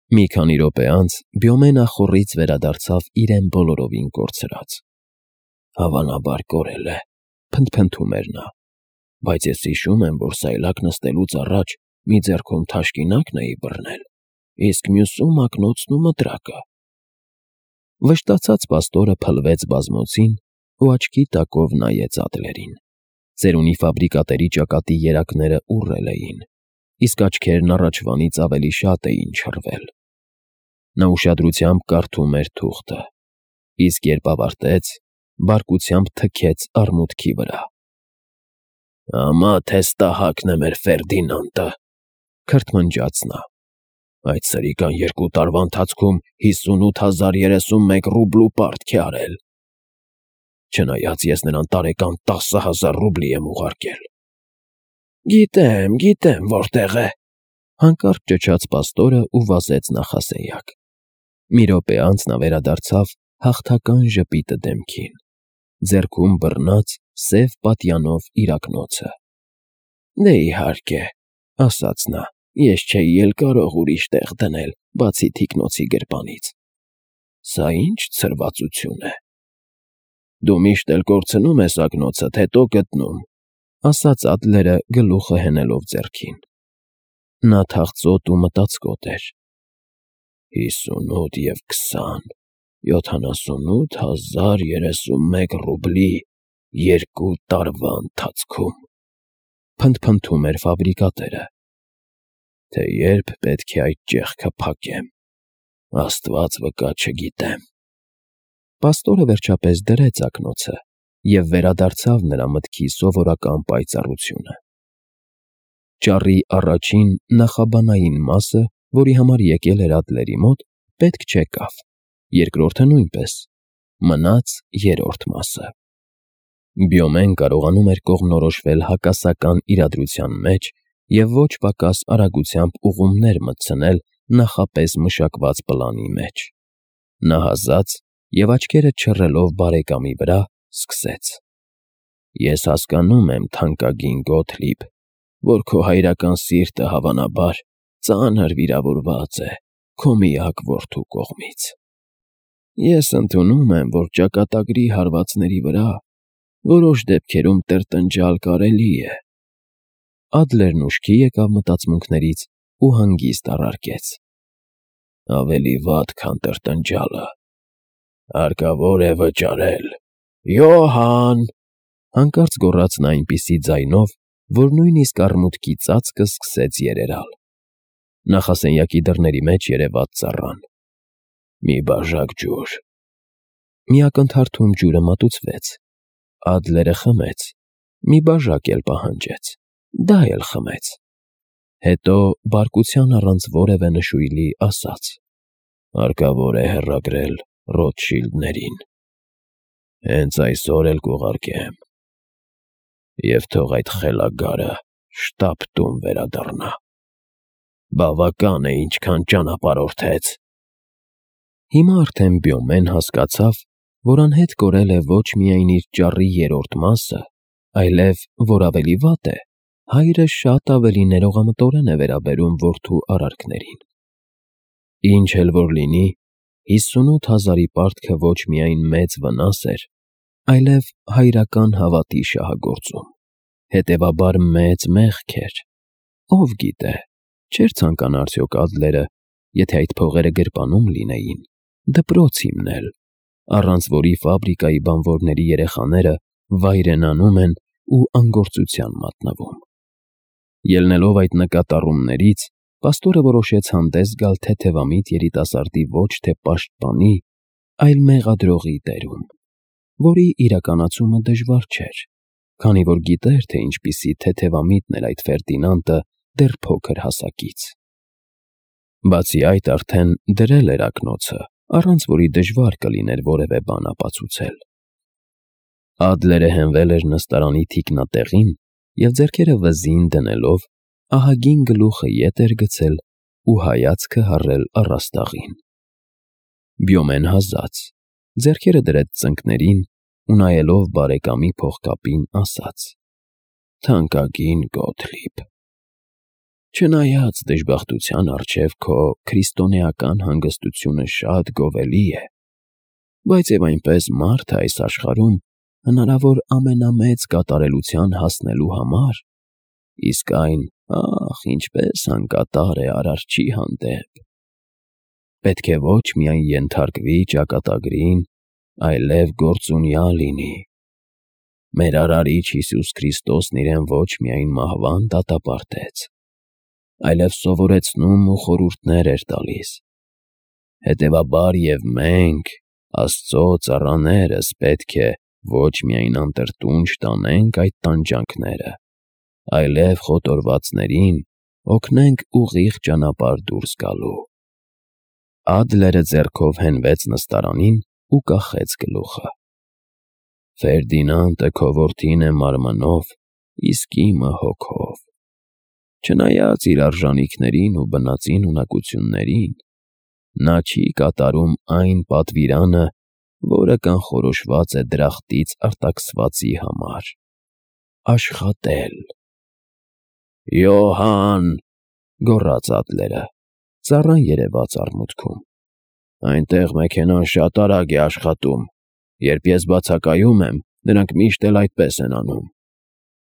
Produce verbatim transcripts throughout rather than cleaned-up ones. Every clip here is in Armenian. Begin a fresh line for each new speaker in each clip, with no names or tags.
Մի քանի րոպե անց Բյոմեն ախոռից վերադարձավ իրեն բոլորովին կորցրած։ «Հավանաբար կորել է», փնթփնթում էր նա, «բայց ես հիշում եմ, որ սայլակ նստելուց առաջ մի ձեռքում թաշկինակն էի բռնել, իսկ մյուսում ակնոցն ու մտրակը»։ Վշտացած պաստորը փլվեց բազմոցին ու աչքի տակով նայեց Ադլերին։ Ծերունի ֆաբրիկատերի ճակատի երակները ուռել էին, իսկ աչքերն առաջվանից ավելի շատ էին չռվել։ Նա ուշադրությամբ կարդում էր թուղթը, իսկ երբ ավարտեց, բարկությամբ թքեց արմունկի վրա։ «Ամա թե ստահակն է մեր Ֆերդինանդը», քրթմնջաց նա։ «Այդ սրիկան երկու տարվա ընթացքում հիսունութ հազար երեսունմեկ ռուբլու պարտք է արել, չնայած ես նրան տարեկան տասը հազար ռուբլի եմ ուղարկել»։ «Գիտեմ, գիտեմ որտեղ է», հանկարծ ճչաց պաստորն ու վազեց նախասենյակ։ Մի րոպե անց նա վերադարձավ հաղթական ժպիտը դեմքին, ձեռքում բռնած սև պատյանով իր ակնոցը։ «Դե, իհարկե», ասաց նա, «ես չէի էլ կարող ուրիշ տեղ դնել, բացի թիկնոցի գրպանից։ Սա ի՞նչ ցրվածություն է»։ «Դու միշտ էլ կորցնում ես ակնոցդ, հետո գտնում», ասաց Ադլերը գլուխը հենելով ձեռքին։ Նա թախծոտ ու մտածկոտ էր։ «Հիսունութ և քսան, յոթանասունութ հազար երեսունմեկ ռուբլի երկու տարվա ընթացքում», փնթփնթում էր ֆաբրիկատերը։ «Թե երբ պետք է այդ ճեղքը փակեմ, Աստված վկա, չգիտեմ»։ Պաստորը վերջապես դրեց ակնոցը և վերադարձավ նրա մտքի սովորական պայծառությունը։ Ճառի առաջին նախաբանային մասը, որի համար եկել էր Ադլերի մոտ, պետք չեկավ, երկրորդը նույնպես, մնաց երրորդ մասը։ Բյոմեն կարողանում էր կողմնորոշվել հակասական իրադրության մեջ և ոչ պակաս արագությամբ ուղումներ մտցնել նախապես մշակված պլանի մեջ։ Նա հազաց և աչքերը չռելով բարեկամի վրա, սկսեց. «Ես հասկանում եմ, թանկագին Գոթլիբ, որ քո հայրական սիրտը, հավանաբար, ծանր վիրավորված է քո միակ որդու կողմից։ Ես ընդունում եմ, որ ճակատագրի հարվածների վրա որոշ դեպքերում տրտնջալ կարելի է»։ Ադլերն ուշքի եկավ մտածմունքներից ու հանգիստ առարկեց. «Ավելի վատ, քան տրտնջալը, հարկավոր է վճարել»։ «Յոհան», հանկարծ գոռաց նա այնպիսի ձայնով, որ նույնիսկ արմունկի ծածկը սկսեց երերալ։ Նախասենյակի դռների մեջ երևաց ծառան։ «Մի բաժակ ջուր»։ Մի ակնթարթում ջուրը մատուցվեց։ Ադլերը խմեց, մի բաժակ էլ պահանջեց, դա էլ խմեց։ Հետո բարկության առանց որևէ նշույլի ասաց. «Հարկավոր է հեռագրել Ռոթշիլդներին։ Հենց այսօր էլ կուղարկեմ։ Եվ թող այդ խելագարը շտապ տուն վերադառնա։ Բավական է ինչքան ճանապարհորդեց»։ Հիմա արդեն Բյոմեն հասկացավ, որ անհետ կորել է ոչ միայն իր ճառի երրորդ մասը, այլև, որ ավելի վատ է, հայրը շատ ավելի ներողամտորեն է վերաբերում որդու արարքներին։ Ինչ էլ որ լինի, հիսունութ հազարի պարտքը ոչ միայն մեծ վնաս էր, այլև հայրական հավատի շահագործում, հետևաբար մեծ մեղք էր։ Ով գիտե, չէր ցանկանա արդյոք Ադլերը, եթե այդ փողերը գրպանում լինեին, դպրոց հիմնել, առանց որի ֆաբրիկայի բանվորների երեխաները վայրենանում են ու անգործության մատնվում։ Ելնելով այդ նկատառումներից, պաստորը որոշեց հանդես գալ թեթևամիտ երիտասարդի ոչ թե պաշտպանի, այլ մեղադրողի դերում, որի իրականացումը դժվար չէր, քանի որ գիտեր, թե ինչպիսի թեթևամիտն էր այդ Ֆերդինանդը դեռ փոքր հասակից։ Բացի այդ արդեն դրել էր ակնոցը, առանց որի դժվար կլիներ որևէ բան ապացուցել։ Ադլերը հենվել էր նստարանի թիկնատեղին և ձեռքերը վզին դնելով, ահագին գլուխը ետ էր գցել ու հայացքը հառել առաստաղին։ Բյոմեն հազաց, ձեռքերը դրեց ծնկներին ու նայելով բարեկամի փողկապին ասաց. «Թանկագին Գոթլիբ, Չնայած դժբախտության առջև քո քրիստոնեական հանգստությունը շատ գովելի է, բայց եւ այնպես մարդը այս աշխարհում հնարավոր ամենամեծ կատարելության հասնելու համար, իսկ այն, ախ, ինչպես անկատար է Արարչի հանդեպ, պետք է ոչ միայն ենթարկվի ճակատագրին, այլև գործունյա լինի։ Մեր Արարիչ Հիսուս Քրիստոսն իրեն ոչ միայն մահվան դատապարտեց, այլև սովորեցնում ու խորհուրդներ էր տալիս։ Հետևաբար եւ մենք, Աստծո ծառաներս, պետք է ոչ միայն անտրտունջ տանենք այդ տանջանքները, այլև խոտորվածներին օգնենք ուղիղ ճանապարհ դուրս գալու։ Ադլերը ձեռքով հենվեց նստարանին ու կախեց գլուխը։ Ֆերդինանդը քո որդին է մարմնով, իսկ իմը հոգով։ Չնայած իր արժանիքներին ու բնածին ունակություններին, նա չի կատարում այն պատվիրանը, որը կանխորոշված է դրախտից արտաքսվածի համար՝ աշխատել։ Յոհան, գոռաց Ադլերը, ծառան երևաց առմուտքում, այնտեղ մեքենան շատ արագ է աշխատում, երբ ես բացակայում եմ, նրանք միշտ էլ այդպես են անում,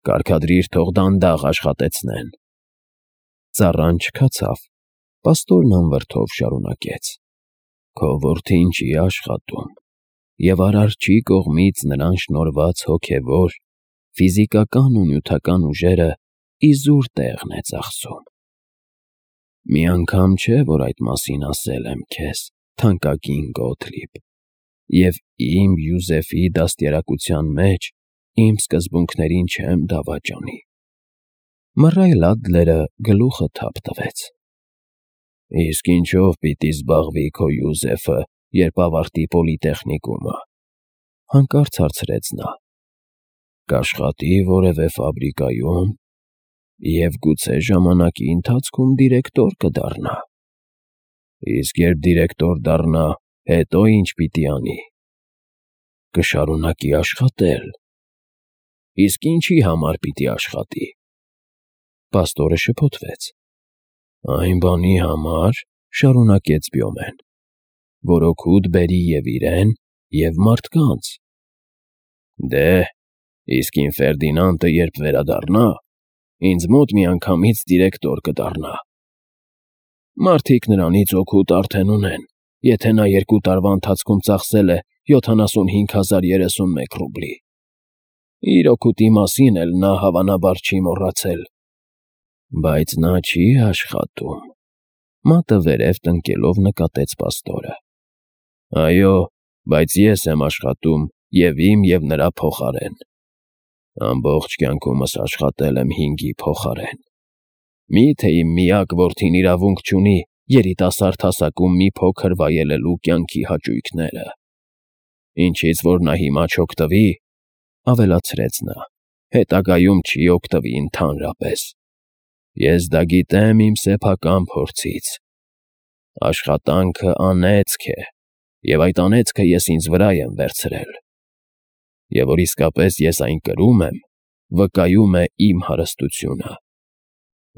կարգադրիր, թող դանդաղ աշխատեցնեն։ Ծառան չքացավ, պաստորն անվրդով շարունակեց. Քո որդին չի աշխատում, և Արարչի կողմից նրան շնորհված հոգևոր, ֆիզիկական ու նյութական ուժերը իզուր տեղն է ծախսում։ Մի անգամ չէ, որ այդ մասին ասել եմ քեզ, թանկագին Գոթլիբ, և իմ Յուզեֆի դաստիարակության մեջ իմ սկզբունքներին չեմ դավաճանի։ Մռայլ Ադլերը գլուխը թափ տվեց։ Իսկ ինչով պիտի զբաղվի քո Յուզեֆը, երբ ավարտի պոլիտեխնիկումը, հանկարծ հարցրեց նա։ Կաշխատի որևէ ֆաբրիկայում և գուցե ժամանակի ընթացքում դիրեկտոր կդառնա։ Իսկ երբ դիրեկտոր դառնա, հետո ինչ պիտի անի։ Կշարունակի աշխատել։ Իսկ ինչի համար պիտի աշխատի։ Պաստորը շփոթվեց։ Այն բանի համար, շարունակեց Բյոմեն, որ օգուտ բերի և իրեն, և մարդկանց։ Դե, իսկ իմ Ֆերդինանդը երբ վերադառնա, ինձ մոտ միանգամից դիրեկտոր կդառնա։ Մարդիկ նրանից օգուտ արդեն ունեն, եթե նա երկու տարվա ընթացքում ծախսել է յոթանասունհինգ հազար երեսունմեկ ռուբլի։ Իր օգուտի մասին էլ նա հավանաբար չի մոռացել։ Բայց նա չի աշխատում, մատը վերև տնկելով նկատեց պաստորը։ Այո, բայց ես եմ աշխատում և իմ և նրա փոխարեն։ Ամբողջ կյանքումս աշխատել եմ հինգի փոխարեն։ Մի՞թե իմ միակ որդին իրավունք չունի երիտասարդ հասակում մի փոքր վայելելու կյանքի հաճույքները։ Ինչից որ նա հիմա չօգտվի, ավելացրեց նա, հետագայում չի օգտվի ընդհանրապես։ Ես դա գիտեմ իմ սեփական փորձից։ Աշխատանքը անեծք է, և այդ անեծքը ես ինձ վրա եմ վերցրել։ Եվ որ իսկապես ես այն կրում եմ, վկայում է իմ հարստությունը։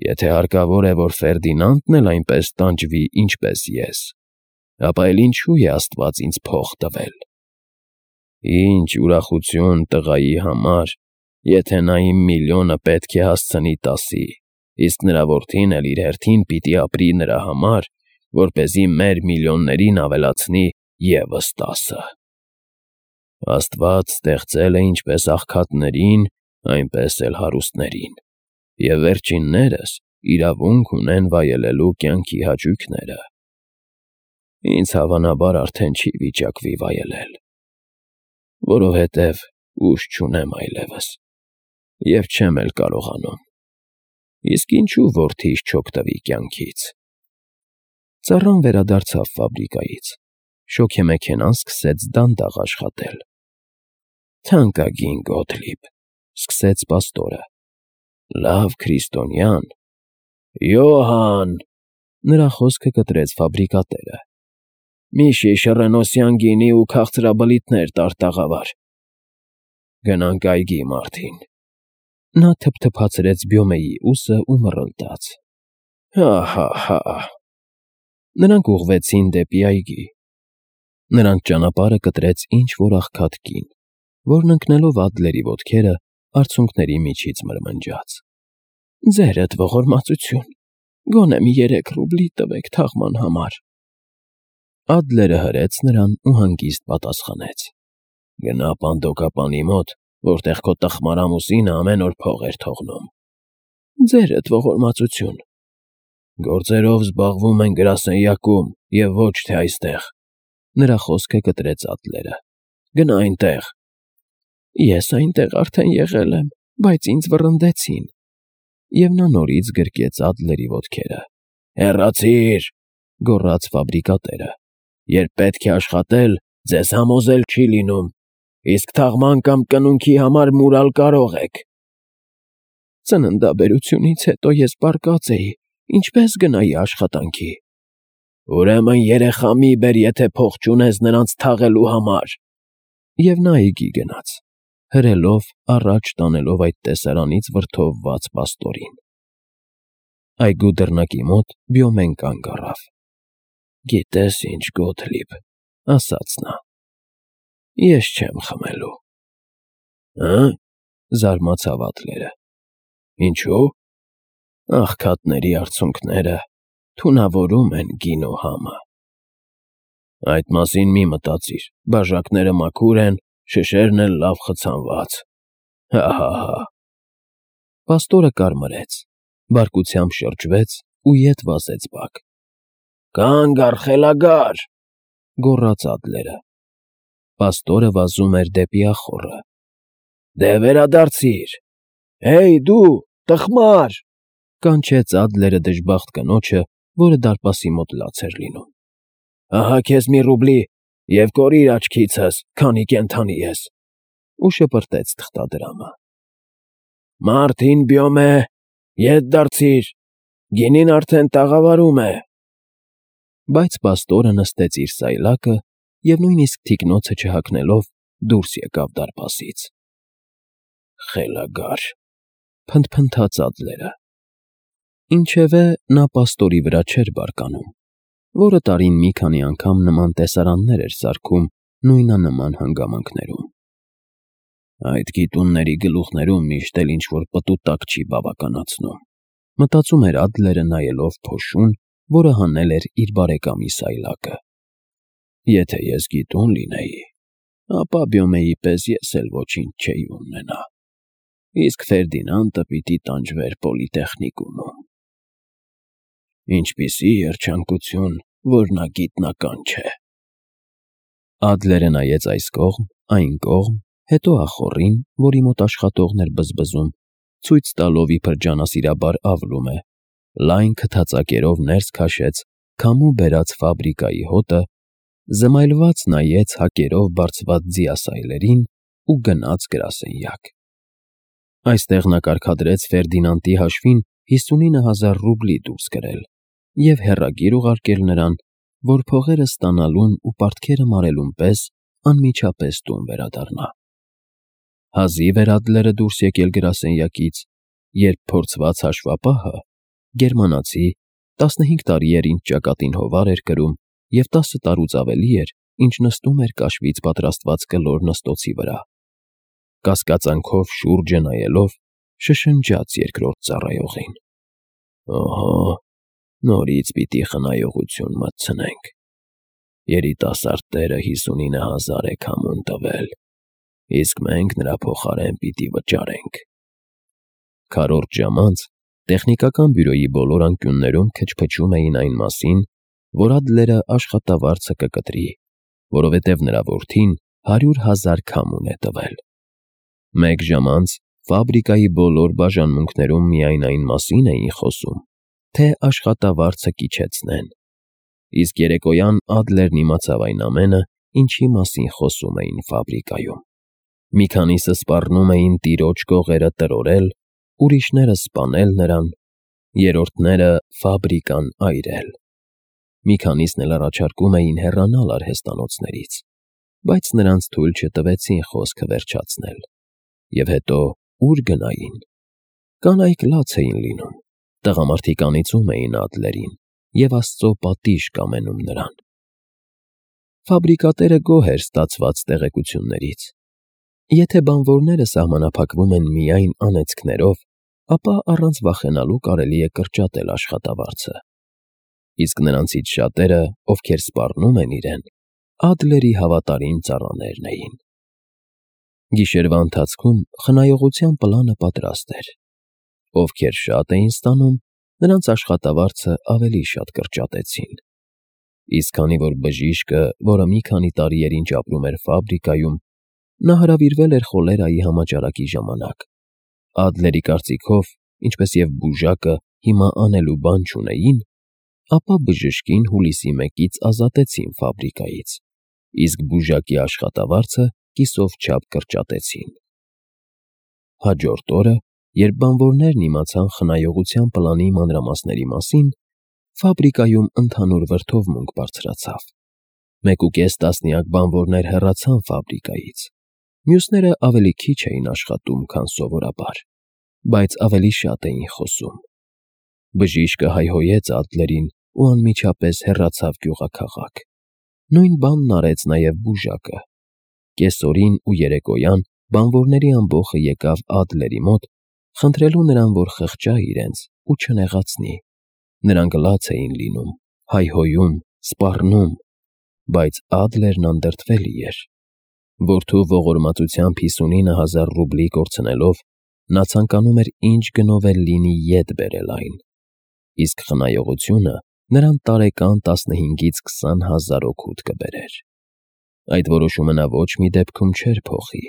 Եթե հարկավոր է, որ Ֆերդինանդն էլ այնպես տանջվի, ինչպես ես, ապա էլ ինչու է Աստված ինձ փող տվել։ Ինչ ուրախություն տղայի համար, եթե նա իմ միլիոնը պետք է հասցնի տասի, իսկ նրա որդին էլ իր հերթին պիտի ապրի նրա համար, որպեսզի մեր միլիոններին ավելացնի ևս տասը։ Աստված ստեղծել է ինչպես աղքատներին, այնպես էլ հարուստներին, և վերջիններս իրավունք ունեն վայելելու կյանքի հաճույքները։ Ինձ հավանաբար արդեն չի վիճակվի վայելել, որովհետև ուժ չունեմ այլևս, և չեմ էլ կարողանում։ Իսկ ինչու որդիս չօգտվի կյանքից։ Ծառան վերադարձավ ֆաբրիկայից, շոգեմեքենան սկսեց դանդաղ աշխատել։ Թանկագին Գոթլիբ, սկսեց պաստորը, լավ քրիստոնյան։ Յոհան, նրա խոսքը կտրեց ֆաբրիկատերը։ Մի շիշ ռենոսյան գինի ու քաղցրաբլիթներ տար տաղավար։ Գնանք այգի, Մարտին։ Նա թփթփացրեց Բյոմեի ուսը ու մռլտաց։ Հա՛֊հա՛֊հա՛։ Նրանք ուղղվեցին դեպի այգի։ Նրանց ճանապարհը կտրեց ինչ֊որ աղքատ կին, որն ընկնելով Ադլերի ոտքերը, արցունքների միջից մրմնջաց. «Ձերդ ողորմածություն, գոնե մի երեք ռուբլի տվեք թաղման համար»։ Ադլերը հրեց նրան ու հանգիստ պատասխանեց. «Գնա պանդոկապանի մոտ, որտեղ քո տխմարամուսինը ամեն օր փող էր թողնում»։ «Ձերդ ողորմածություն»։ «Գործերով զբաղվում են գրասենյակում և ոչ թե այստեղ», նրա խոսքը կտրեց Ադլերը։ «Գնա այնտեղ»։ «Ես այնտեղ արդեն եղել եմ, բայց ինձ վռնդեցին»։ Եվ նա նորից գրկեց Ադլերի ոտքերը։ «Հեռացի՛ր», գոռաց ֆաբրիկատերը։ «Երբ պետք է աշխատել, ձեզ համոզել չի լինում, իսկ թաղման կամ կնունքի համար մուրալ կարող եք»։ «Ծննդաբերությունից հետո ես պառկած էի, ինչպե՞ս գնայի աշխատանքի»։ «Ուրեմն երեխա մի՛ բեր, եթե փող չունես նրանց թաղելու համար»։ Եվ նա այգի գնաց, հրելով առաջ տանելով այդ տեսարանից վրդովված պաստորին։ Այգու դռնակի մոտ Բյոմեն կանգ առավ։ «Գիտե՞ս ինչ, Գոթլիբ,֊ ասաց նա,֊ ես չեմ խմելու»։ «Հը՞,֊ զարմացավ Ադլերը,֊ ինչո՞ւ»։ «Աղքատների արցունքները թունավորում են գինու համը»։ «Այդ մասին մի մտածիր, բաժակները մաքուր են, շշերն էլ լավ խցանված։ Հա՛֊հա՛֊հա՛։ Պաստորը կարմրեց, բարկությամբ շրջվեց ու ետ վազեց բակ։ «Կա՛նգ առ, խելագա՛ր,֊ գոռաց Ադլերը։ Պաստորը վազում էր դեպի ախոռը։ «Դե վերադարձի՛ր։ Հեյ, դու, տխմար,֊ կանչեց Ադլերը դժբախտ կնոջը, որը դարպասի մոտ լաց էր լինում։ Ահա քեզ մի ռուբլի և կորիր աչքիցս, քանի կենդանի ես,֊ ու շպրտեց թղթադրամը։ «Մարդ հին Բյոմե, ետ դարձիր, գինին արդեն տաղավարում է»։ Բայց պաստորը նստեց իր սայլակը և նույնիսկ թիկնոցը չհագնելով դուրս եկավ դարպասից։ «Խելագար,֊ փնթփնթաց Ադլերը։ Ինչևէ, նա պաստորի վրա չէր բարկանում, որը տարին մի քանի անգամ նման տեսարաններ էր սարքում նույնանման հանգամանքներում։ «Այդ գիտունների գլուխներում միշտ էլ ինչ֊որ պտուտակ չի բավականացնում», մտածում էր Ադլերը նայելով փոշուն, որը հանել էր իր բարեկամի սայլակը։ «Եթե ես գիտուն լինեի, ապա Բյոմեի պես ես էլ ոչինչ չէի ունենա, իսկ Ֆերդինանդը պիտի տանջվեր պոլիտեխնիկումում։ Ինչպիսի երջանկություն, որ նա գիտնական չէ»։ Ադլերը նայեց այս կողմ, այն կողմ, հետո ախոռին, որի մոտ աշխատողն էր բզբզում, ցույց տալով իբր ջանասիրաբար ավլում է, լայն քթածակերով ներս քաշեց քամու բերած ֆաբրիկայի հոտը, զմայլված նայեց հակերով բարձված ձիասայլերին ու գնաց գրասենյակ։ Այստեղ նա կարգադրեց Ֆերդինանդի հաշվին հիսունինը հազար ռուբլի դուրս կրել և հեռագիր ուղարկել նրան, որ փողերը ստանալուն ու պարտքերը մարելուն պես անմիջապես տուն վերադառնա։ Հազիվ էր Ադլերը դուրս եկել գրասենյակից, երբ փորձված հաշվապահը, գերմանացի, տասնհինգ տարի էր ինչ ճակատին հովար էր կրում և տասը տարուց ավելի էր, ինչ նստում էր կաշվից պատրաստված կլոր նստոցի վրա, կասկածանքով շուրջը նայելով, շշնջաց երկրորդ ծառայողին. «Օհո, նորից պիտի խնայողություն մտցնենք։ Երիտասարդ տերը հիսունինը հազար է քամուն տվել, իսկ մենք նրա փոխարեն պիտի վճարենք»։ Քառորդ ժամ անց տեխնիկական բյուրոյի բոլոր անկյուններում քչփչում էին այն մասին, որ Ադլերը աշխատավարձը կկտրի, որովհետև նրա որդին հարյուր հազար քամուն է տվել։ Մեկ ժամ անց ֆաբրիկայի բոլոր բաժանմունքներում միայն այն մասին էին խոսում, թե աշխատավարձը կիջեցնեն, իսկ երեկոյան Ադլերն իմացավ այն ամենը, ինչի մասին խոսում էին ֆաբրիկայում։ Մի քանիսը սպառնում էին տիրոջ կողերը տրորել, ուրիշները սպանել նրան, երրորդները ֆաբրիկան այրել։ Մի քանիսն էլ առաջարկում էին հեռանալ արհեստանոցներից, բայց նրանց թույլ չտվեցին խոսքը վերջացնել։ Եվ հետո ո՞ւր գնային։ Կանայք լաց էին լինում, Տղամարդիկ անիծում էին Ադլերին և Աստծո պատիժ կամենում նրան։ Ֆաբրիկատերը գոհ էր ստացված տեղեկություններից։ Եթե բանվորները սահմանափակվում են միայն անեծքներով, ապա առանց վախենալու կարելի է կրճատել աշխատավարձը։ Իսկ նրանցից շատերը, ովքեր սպառնում են իրեն, Ադլերի հավատարիմ ծառաներն էին։ Գիշերվա ընթացքում խնայողության պլանը պատրաստ էր։ Ովքեր շատ էին ստանում, նրանց աշխատավարձը ավելի շատ կրճատեցին։ Իսկ քանի որ բժիշկը, որը մի քանի տարի էր ինչ ապրում էր ֆաբրիկայում, նա հրավիրվել էր խոլերայի համաճարակի ժամանակ, Ադլերի կարծիքով, ինչպես և բուժակը հիմա անելու բան չունեին, ապա բժշկին հուլիսի մեկից ազատեցին ֆաբրիկայից, իսկ բուժակի աշխատավարձը կիսով չափ կրճատեցին։ Հաջորդ օրը, երբ բանվորներն իմացան խնայողության պլանի մանրամասների մասին, ֆաբրիկայում ընդհանուր վրդովմունք բարձրացավ։ Մեկուկես տասնյակ բանվորներ հեռացան ֆաբրիկայից, մյուսները ավելի քիչ էին աշխատում, քան սովորաբար, բայց ավելի շատ էին խոսում։ Բժիշկը հայհոյեց Ադլերին ու անմիջապես հեռացավ գյուղաքաղաք։ Նույն բանն արեց նաև բուժակը։ Կեսօրին ու երեկոյան բանվորների ամբոխը եկավ Ադլերի մոտ, խնդրելու նրան, որ խղճա իրենց ու չնեղացնի։ Նրանք լաց էին լինում, հայհոյում, սպառնում, բայց Ադլերն անդրդվելի էր։ Որդու ողորմածությամբ հիսունինը հազար ռուբլի կորցնելով, նա ցանկանում էր ինչ գնով էլ լինի ետ բերել այն, իսկ խնայողությունը նրան տարեկան տասնհինգից քսան հազար օգուտ կբերեր։ Այդ որոշումը նա ոչ մի դեպքում չէր փոխի,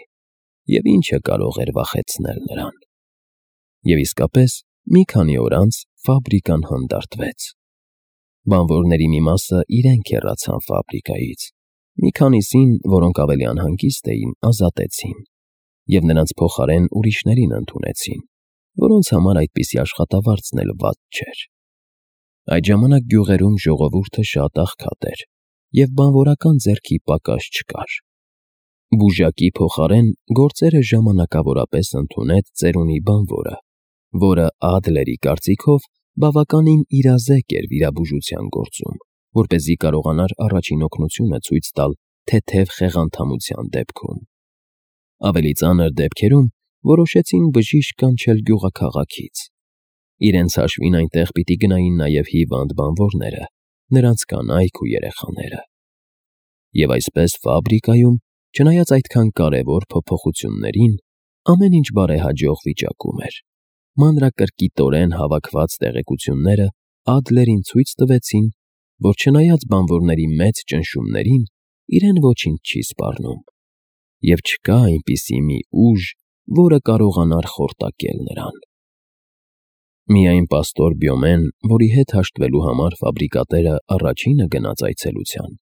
և ինչը կարող էր վախեցնել նրան։ Եվ իսկապես, մի քանի օր անց ֆաբրիկան հանդարտվեց։ Բանվորների մի մասը իրենք հեռացան ֆաբրիկայից, մի քանիսին, որոնք ավելի անհանգիստ էին, ազատեցին, և նրանց փոխարեն ուրիշներին ընդունեցին, որոնց համար այդպիսի աշխատավարձն էլ վատ չէր։ Այդ ժամանակ գյուղերում ժողովուրդը շատ աղքատ էր, և բանվորական ձեռքի պակաս չկար։ Բուժակի փոխարեն գործերը ժամանակավորապես ընդունեց ծերունի բանվորը, որը Ադլերի կարծիքով բավականին իրազեկ էր վիրաբուժության գործում, որպեսզի կարողանար առաջին օգնությունը ցույց տալ թեթև խեղանդամության դեպքում։ Ավելի ծանր դեպքերում որոշեցին բժիշկ կանչել գյուղաքաղաքից։ Իրենց հաշվին այնտեղ պիտի գնային նաև հիվանդ բանվորները, նրանց կանայք ու երեխաները։ Եվ այսպես ֆաբրիկայում, չնայած այդքան կարևոր փոփոխություններին, ամեն ինչ բարեհաջող վիճակում էր։ Մանրակրկիտորեն հավաքված տեղեկությունները Ադլերին ցույց տվեցին, որ չնայած բանվորների մեծ ճնշումներին, իրեն ոչինչ չի սպառնում, և չկա այնպիսի մի ուժ, որը կարողանար խորտակել նրան։ Միայն պաստոր Բյոմեն, որի հետ հաշտվելու համար ֆաբրիկատերը առաջինը գնաց այցելության,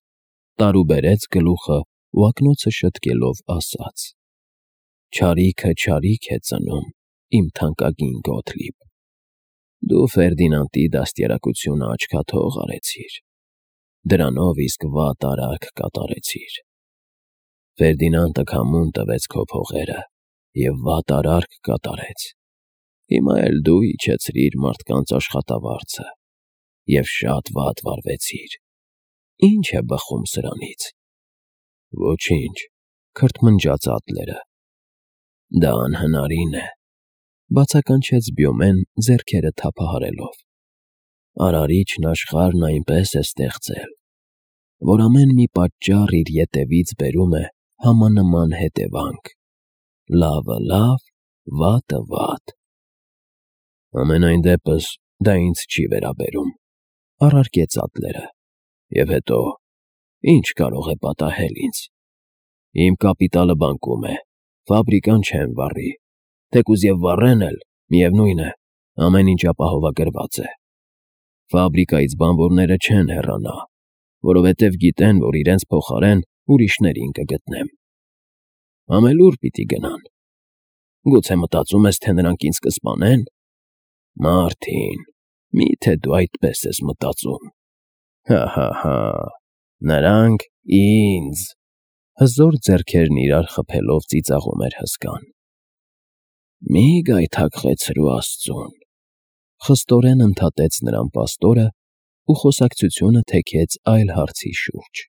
տարուբերեց գլուխը ու ակնոցը շտկելով ասաց. «Չարիքը չարիք է ծնում, իմ թանկագին Գոթլիբ, դու Ֆերդինանդի դաստիարակությունը աչքաթող արեցիր, դրանով իսկ վատ արարք կատարեցիր։ Ֆերդինանդը քամուն տվեց քո փողերը և վատ արարք կատարեց, հիմա էլ դու իջեցրիր մարդկանց աշխատավարձը և շատ վատ վարվեցիր, ի՞նչ է բխում սրանից»։ «Ոչինչ», քրթմնջաց Ադլերը։ «Դա անհնարին է», բացականչեց Բյոմեն ձեռքերը թափահարելով։ «Արարիչն աշխարհն այնպես է ստեղծել, որ ամեն մի պատճառ իր ետևից բերում է համանման հետևանք, լավը լավ, վատը վատ»։ «Համենայն դեպս, դա ինձ չի վերաբերում», առարկեց Ադլերը։ «Եվ հետո, ի՞նչ կարող է պատահել ինձ։ Իմ կապիտալը բանկում է, ֆաբրիկան չեմ վառի, թեկուզ և վառեն էլ, միևնույն է, ամեն ինչ ապահովագրված է։ Ֆաբրիկայից բանվորները չեն հեռանա, որովհետև գիտեն, որ իրենց փոխարեն ուրիշներին կգտնեմ։ Ամենուր պիտի գնան։ Գուցե մտածում ես, թե նրանք ինձ կսպանե՞ն։ Մարտին, մի՞թե դու այդպես ես մտածում։ Հա՛֊հա՛֊հա՛, նրանք ինձ…» Հզոր ձեռքերն իրար խփելով ծիծաղում էր հսկան։ «Մի՛ գայթակղեցրու աստծուն։ Խստորեն ընդհատեց նրան պաստորն ու խոսակցությունը թեքեց այլ հարցի շուրջ։